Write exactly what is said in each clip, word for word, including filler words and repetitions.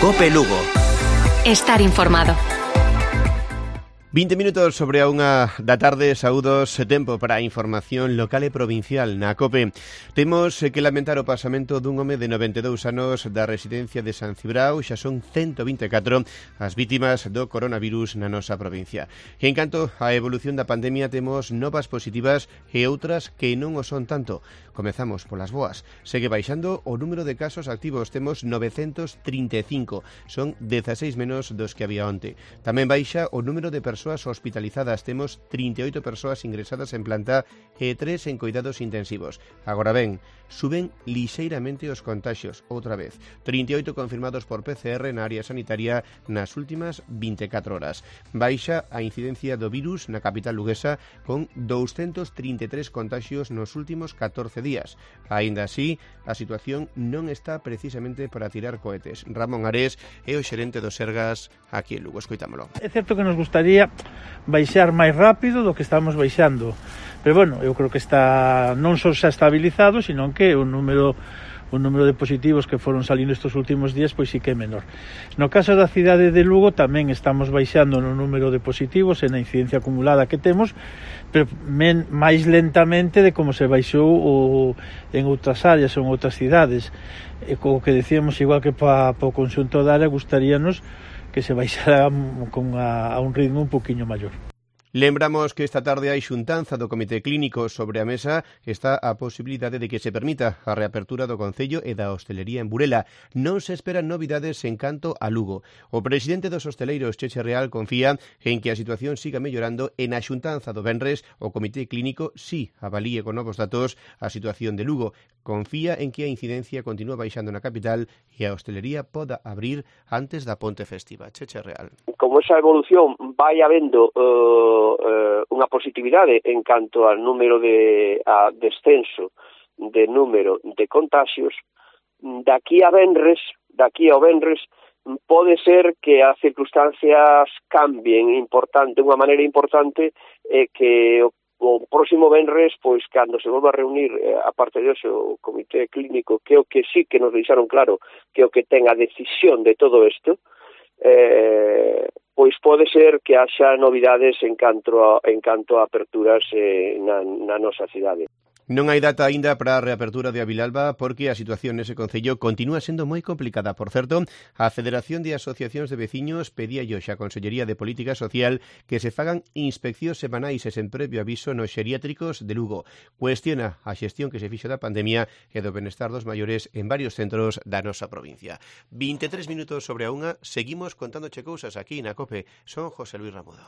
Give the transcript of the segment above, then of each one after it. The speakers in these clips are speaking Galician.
Cope Lugo. Estar informado. vinte minutos sobre a unha da tarde, saúdos, tempo para a información local e provincial na COPE. Temos que lamentar o pasamento dun home de noventa e dous anos da residencia de San Cibrao. Xa son ciento vinte e catro as vítimas do coronavirus na nosa provincia. E en canto á evolución da pandemia, temos novas positivas e outras que non o son tanto. Comezamos polas boas. Segue baixando o número de casos activos. Temos novecentos trinta e cinco. Son dezaseis menos dos que había onte. Tamén baixa o número de persoas hospitalizadas. Temos trinta e oito persoas ingresadas en planta e tres en cuidados intensivos. Agora ben, suben lixeiramente os contaxios, outra vez. trinta e oito confirmados por P C R na área sanitaria nas últimas vinte e catro horas. Baixa a incidencia do virus na capital luguesa con douscentos trinta e tres contaxios nos últimos catorce días. Aínda así, a situación non está precisamente para tirar cohetes. Ramón Ares é o xerente do Sergas aquí en Lugo. Escoitámolo. É certo que nos gustaría baixar máis rápido do que estamos baixando, pero bueno, eu creo que está non só xa estabilizado, sino que o número o número de positivos que foron salindo estes últimos días pois sí que é menor. No caso da cidade de Lugo tamén estamos baixando no número de positivos e na incidencia acumulada que temos, pero men, máis lentamente de como se baixou o, en outras áreas ou en outras cidades. E co que decíamos, igual que para pa o conxunto da área, gustaríanos que se baixara con a, a un ritmo un poquinho maior. Lembramos que esta tarde hai xuntanza do Comité Clínico. Sobre a mesa está a posibilidade de que se permita a reapertura do Concello e da hostelería en Burela. Non se esperan novidades en canto a Lugo. O presidente dos hosteleiros, Cheche Real, confía en que a situación siga mellorando e na xuntanza do venres o Comité Clínico sí avalíe con novos datos a situación de Lugo. Confía en que a incidencia continúa baixando na capital e a hostelería poda abrir antes da ponte festiva. Cheche Real. Como esa evolución vai habendo uh, uh, unha positividade en canto ao número de a descenso de número de contagios, daqui a venres, daqui ao venres, pode ser que as circunstancias cambien importante, unha maneira importante, e eh, que o o próximo venres, pois, cando se volva a reunir, eh, a parte de hoxe, o Comité Clínico, que o que sí que nos deixaron claro que o que ten a decisión de todo isto, eh, pois pode ser que haxa novidades en canto a, en canto a aperturas eh, na, na nosa cidade. Non hai data aínda para a reapertura de Avilalba porque a situación nese concello continúa sendo moi complicada. Por certo, a Federación de Asociacións de Veciños pedía hoxe á Consellería de Política Social que se fagan inspeccións semanais e sen previo aviso nos xeriátricos de Lugo. Cuestiona a xestión que se fixo da pandemia e do benestar dos maiores en varios centros da nosa provincia. vinte e tres minutos sobre a unha, seguimos contándoche cousas aquí na COPE. Son José Luis Ramudo.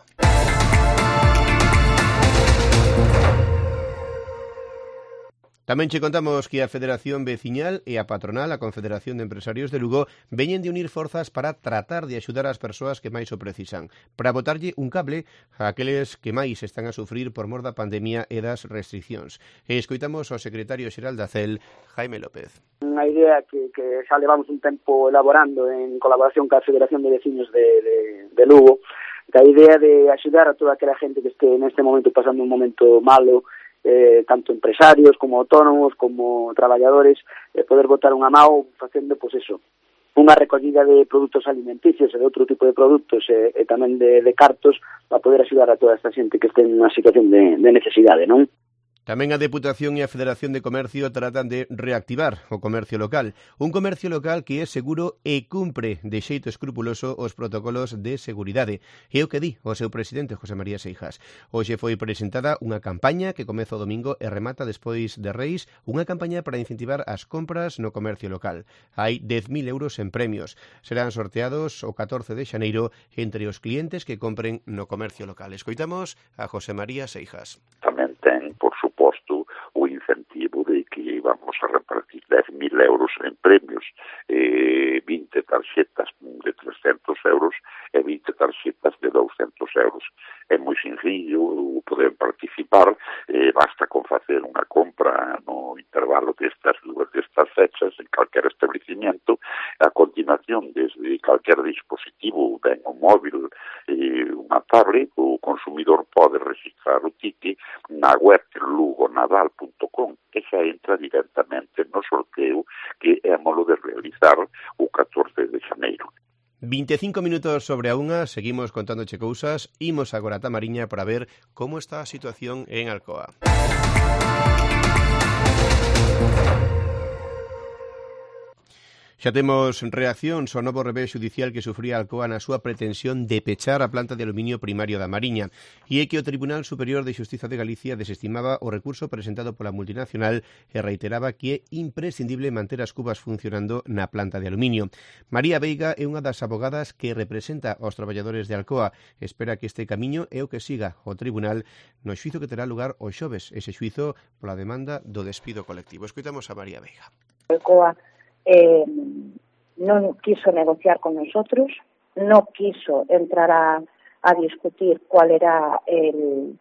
Tamén che contamos que a Federación Veciñal e a Patronal, a Confederación de Empresarios de Lugo, veñen de unir forzas para tratar de axudar as persoas que máis o precisan, para botarlle un cable a aqueles que máis están a sufrir por mor da pandemia e das restriccións. E escoitamos ao secretario xeral da C E L, Jaime López. Unha idea que, que xa levamos un tempo elaborando en colaboración ca Federación de Veciños de, de, de Lugo, a idea de axudar a toda aquela gente que este neste momento pasando un momento malo, Eh, tanto empresarios como autónomos como traballadores, eh, poder botar unha mão facendo, pois eso, unha recollida de produtos alimenticios e de outro tipo de produtos e, e tamén de, de cartos para poder axudar a toda esta xente que este en unha situación de, de necesidade, non? Tamén a Deputación e a Federación de Comercio tratan de reactivar o comercio local. Un comercio local que é seguro e cumpre de xeito escrupuloso os protocolos de seguridade. É o que di o seu presidente, José María Seijas. Hoxe foi presentada unha campaña que comeza o domingo e remata despois de Reis, unha campaña para incentivar as compras no comercio local. Hai dez mil euros en premios. Serán sorteados o catorce de xaneiro entre os clientes que compren no comercio local. Escoitamos a José María Seijas. Tamén ten, por suposto, o incentivo de que vamos a repartir dez mil euros en premios, eh, vinte tarxetas de trescentos euros e vinte tarxetas de douscentos euros. É moi sencillo poder participar, eh, basta con facer unha compra no intervalo destas dúas destas fechas en calquer establecimiento. A continuación, desde calquer dispositivo, ben o móvil, eh, unha tablet, o consumidor pode registrar o ticket na web lugonadal punto com e xa entra directamente no sorteo que émolo de realizar o catorce de xaneiro. veinticinco minutos sobre a unha, seguimos contándoche cousas, imos agora a Tamariña para ver como está a situación en Alcoa. Xa temos reaccións ao novo revés judicial que sufría Alcoa na súa pretensión de pechar a planta de aluminio primario da Mariña, e é que o Tribunal Superior de Xustiza de Galicia desestimaba o recurso presentado pola multinacional e reiteraba que é imprescindible manter as cubas funcionando na planta de aluminio. María Veiga é unha das abogadas que representa aos traballadores de Alcoa. Espera que este camiño é o que siga o Tribunal no xuizo que terá lugar o xoves, ese xuizo pola demanda do despido colectivo. Escoitamos a María Veiga. Alcoa Eh, non quiso negociar con nosotros, no quiso entrar a, a discutir cuál era el,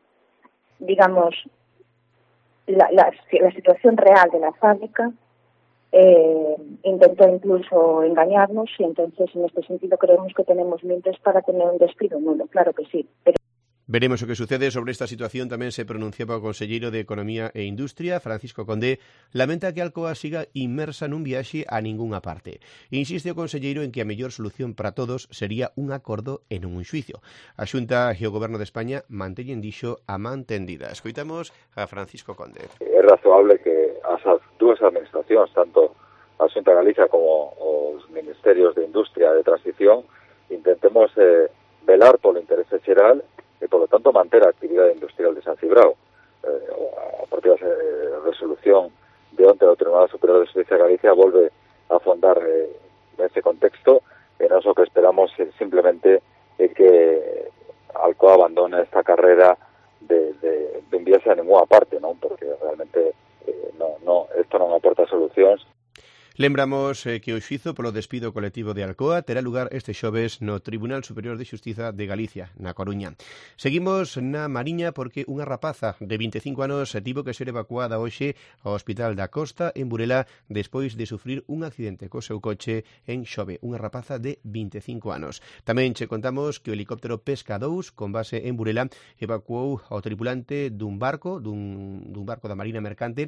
digamos, la, la, la situación real de la fábrica, eh, intentó incluso engañarnos y entonces en este sentido creemos que tenemos mientes para tener un despido nulo, claro que sí, pero Veremos o que sucede. Sobre esta situación tamén se pronunciaba o conselleiro de Economía e Industria, Francisco Condé, lamenta que Alcoa siga inmersa nun viaxe a ningunha parte. Insiste o conselleiro en que a mellor solución para todos sería un acordo e non un xuicio. A Xunta e o Goberno de España manteñen dixo a man tendida. Escoitamos a Francisco Condé. É razoable que as dúas administracións, tanto a Xunta de Galicia como os Ministerios de Industria e de Transición, intentemos eh, velar polo interese xeral e, polo tanto, manter a actividade industrial de San Cibrao. Eh, a propia eh, resolución de onte do Tribunal Superior de Xustiza de Galicia volve a afondar eh, nese contexto, e nós o que esperamos é simplemente é que Alcoa abandone esta carrera de, de, de enviarse a ninguna parte, non? Porque realmente eh, no, no, esto non aporta solucións. Lembramos eh, que o xuizo polo despido colectivo de Alcoa terá lugar este xoves no Tribunal Superior de Xustiza de Galicia, na Coruña. Seguimos na Mariña porque unha rapaza de vinte e cinco anos tivo que ser evacuada hoxe ao Hospital da Costa en Burela despois de sufrir un accidente co seu coche en Xove. Unha rapaza de vinte e cinco anos. Tamén che contamos que o helicóptero Pesca dous, con base en Burela, evacuou ao tripulante dun barco, dun, dun barco da Marina Mercante,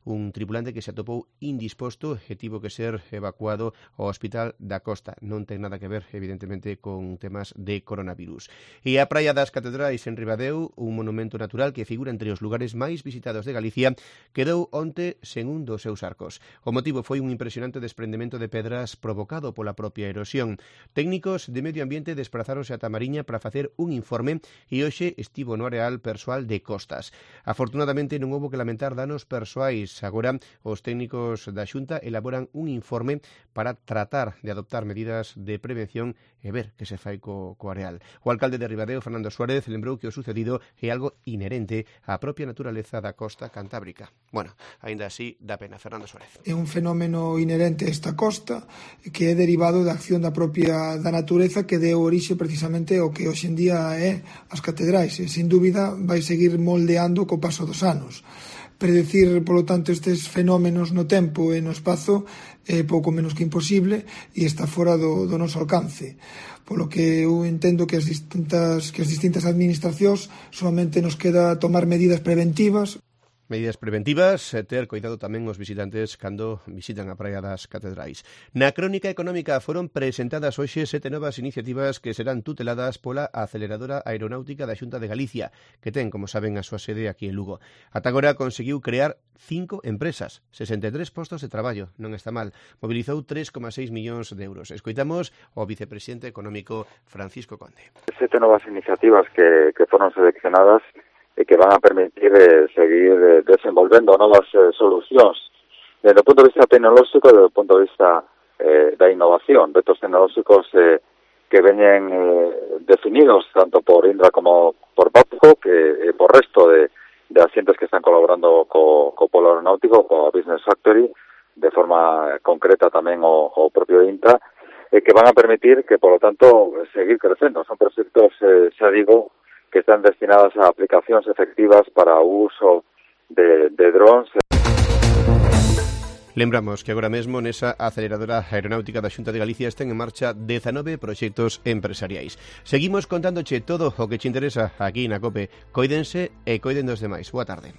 un tripulante que se atopou indisposto e tivo que ser evacuado ao Hospital da Costa. Non ten nada que ver, evidentemente, con temas de coronavirus. E a Praia das Catedrais en Ribadeo, un monumento natural que figura entre os lugares máis visitados de Galicia, quedou onte sen un dos seus arcos. O motivo foi un impresionante desprendemento de pedras provocado pola propia erosión. Técnicos de medio ambiente desprazáronse a Tamariña para facer un informe e hoxe estivo no areal persoal de Costas. Afortunadamente non houbo que lamentar danos persoais. Agora, os técnicos da Xunta elaboran un informe para tratar de adoptar medidas de prevención e ver que se fai co, co areal. O alcalde de Ribadeo, Fernando Suárez, lembrou que o sucedido é algo inherente á propia naturaleza da costa cantábrica. Bueno, aínda así, dá pena. Fernando Suárez. É un fenómeno inherente a esta costa que é derivado da acción da propia da natureza que deu orixe precisamente ao que hoxe en día é as catedrais. E, sin dúbida, vai seguir moldeando co paso dos anos. Predecir, polo tanto, estes fenómenos no tempo e no espazo é pouco menos que imposible e está fora do, do noso alcance. Polo que eu entendo que as distintas, que as distintas administracións solamente nos queda tomar medidas preventivas. Medidas preventivas, ter cuidado tamén os visitantes cando visitan a Praia das Catedrais. Na crónica económica foron presentadas hoxe sete novas iniciativas que serán tuteladas pola aceleradora aeronáutica da Xunta de Galicia, que ten, como saben, a súa sede aquí en Lugo. Ata agora conseguiu crear cinco empresas, sesenta e tres postos de traballo, non está mal. Mobilizou tres coma seis millóns de euros. Escoitamos o vicepresidente económico Francisco Conde. Sete novas iniciativas que, que foron seleccionadas e que van a permitir eh, seguir eh, desenvolvendo novas eh, solucións desde o punto de vista tecnolóxico e desde o punto de vista eh, da innovación, vetos tecnolóxicos eh, que veñen eh, definidos tanto por Indra como por Papco, que eh, por resto de, de asientes que están colaborando co, co Polo Aeronáutico, co Business Factory, de forma concreta tamén o, o propio INTA, eh, que van a permitir que, por lo tanto, seguir crecendo. Son proxectos, eh, xa digo, que están destinadas a aplicacións efectivas para o uso de, de drones. Lembramos que agora mesmo nesa aceleradora aeronáutica da Xunta de Galicia estén en marcha dezanove proxectos empresariais. Seguimos contándoche todo o que te interesa aquí na COPE. Coídense e coiden dos demais. Boa tarde.